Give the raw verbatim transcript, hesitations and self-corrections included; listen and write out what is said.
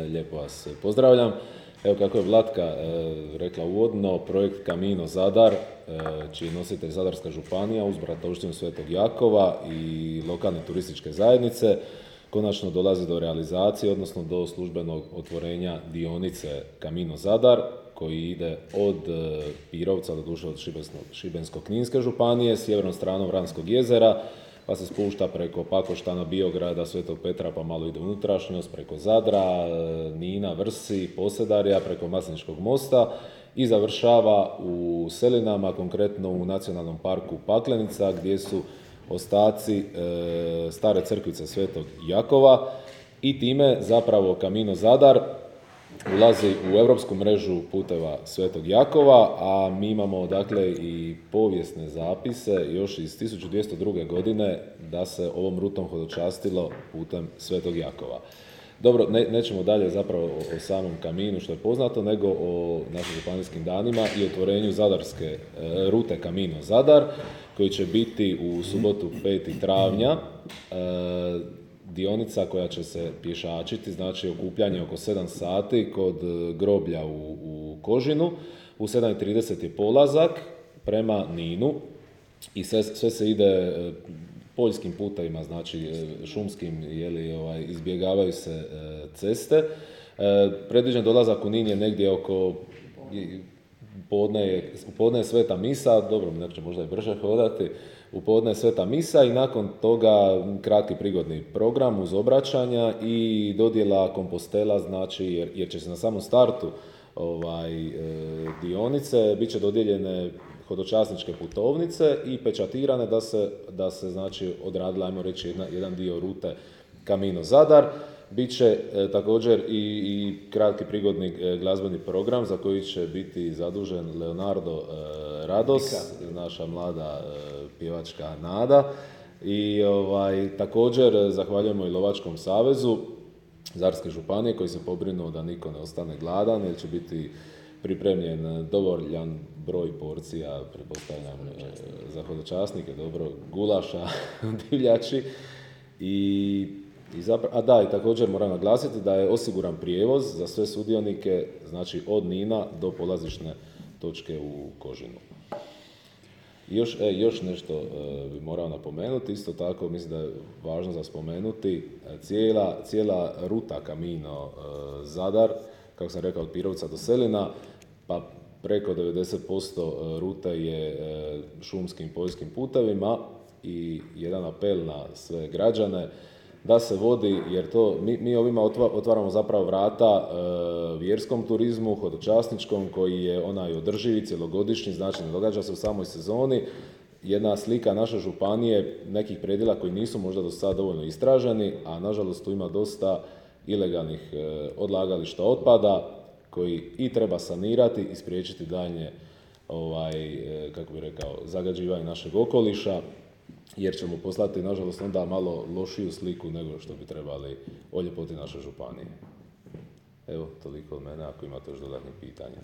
Lijepo vas pozdravljam. Evo kako je Vlatka e, rekla uvodno, projekt Camino Zadar, e, čiji je nositelj Zadarska županija uz bratovštinu Svetog Jakova i lokalne turističke zajednice, konačno dolazi do realizacije, odnosno do službenog otvorenja dionice Camino Zadar, koji ide od e, Pirovca, doduše od Šibensko-kninske županije, sjevernom stranom Vranskog jezera, pa se spušta preko Pakoštana, Biograda, Svetog Petra, pa malo ide unutrašnjost, preko Zadra, Nina, Vrsi, Posedarja, preko Masleničkog mosta i završava u Selinama, konkretno u Nacionalnom parku Paklenica, gdje su ostaci e, stare crkvice Svetog Jakova i time zapravo Camino Zadar ulazi u europsku mrežu puteva Svetog Jakova, a mi imamo dakle i povijesne zapise još iz tisuću dvjesto druge. godine da se ovom rutom hodočastilo putem Svetog Jakova. Dobro, ne, nećemo dalje zapravo o, o samom kaminu što je poznato, nego o našim županijskim danima i otvorenju zadarske e, rute Camino Zadar, koji će biti u subotu petog travnja. E, dionica koja će se pješačiti, znači okupljanje oko sedam sati kod groblja u, u Kožinu, u sedam i trideset je polazak prema Ninu i sve, sve se ide poljskim putevima, znači šumskim, jeli, ovaj, izbjegavaju se ceste. E, predviđen dolazak u Nin je negdje oko podne je, podne je sveta misa, dobro, neko će možda i brže hodati, u podne je sveta misa i nakon toga kratki prigodni program uz obraćanja i dodjela kompostela, znači jer, jer će se na samom startu ovaj, e, dionice bit će dodijeljene hodočasničke putovnice i pečatirane da se, da se znači odradila, ajmo reći, jedna, jedan dio rute Camino Zadar. Biće e, također i, i kratki prigodni e, glazbeni program za koji će biti zadužen Leonardo e, Rados, naša mlada e, pjevačka nada. I ovaj, također zahvaljujemo i Lovačkom savezu Zadarske županije koji se pobrinuo da niko ne ostane gladan, jer će biti pripremljen dovoljan broj porcija, pretpostavljam, e, za hodočasnike, dobro, gulaša, divljači. I I zapra- a da, i također moram naglasiti da je osiguran prijevoz za sve sudionike, znači od Nina do polazišne točke u Kožinu. I još, e, još nešto e, bi morao napomenuti, isto tako mislim da je važno za spomenuti, e, cijela, cijela ruta Camino e, Zadar, kako sam rekao, od Pirovca do Selina, pa preko devedeset posto rute je e, šumskim poljskim putevima i jedan apel na sve građane da se vodi, jer to mi, mi ovima otvaramo zapravo vrata e, vjerskom turizmu, hodočasničkom, koji je onaj održivi, cjelogodišnji, znači ne događa se u samoj sezoni. Jedna slika naše županije, nekih predjela koji nisu možda do sada dovoljno istraženi, a nažalost tu ima dosta ilegalnih e, odlagališta otpada, koji i treba sanirati i spriječiti daljnje, ovaj, e, kako bi rekao, zagađivanje našeg okoliša, jer ćemo poslati, nažalost, onda malo lošiju sliku nego što bi trebali o ljepoti naše županije. Evo, toliko od mene, ako imate još dodatnih pitanja.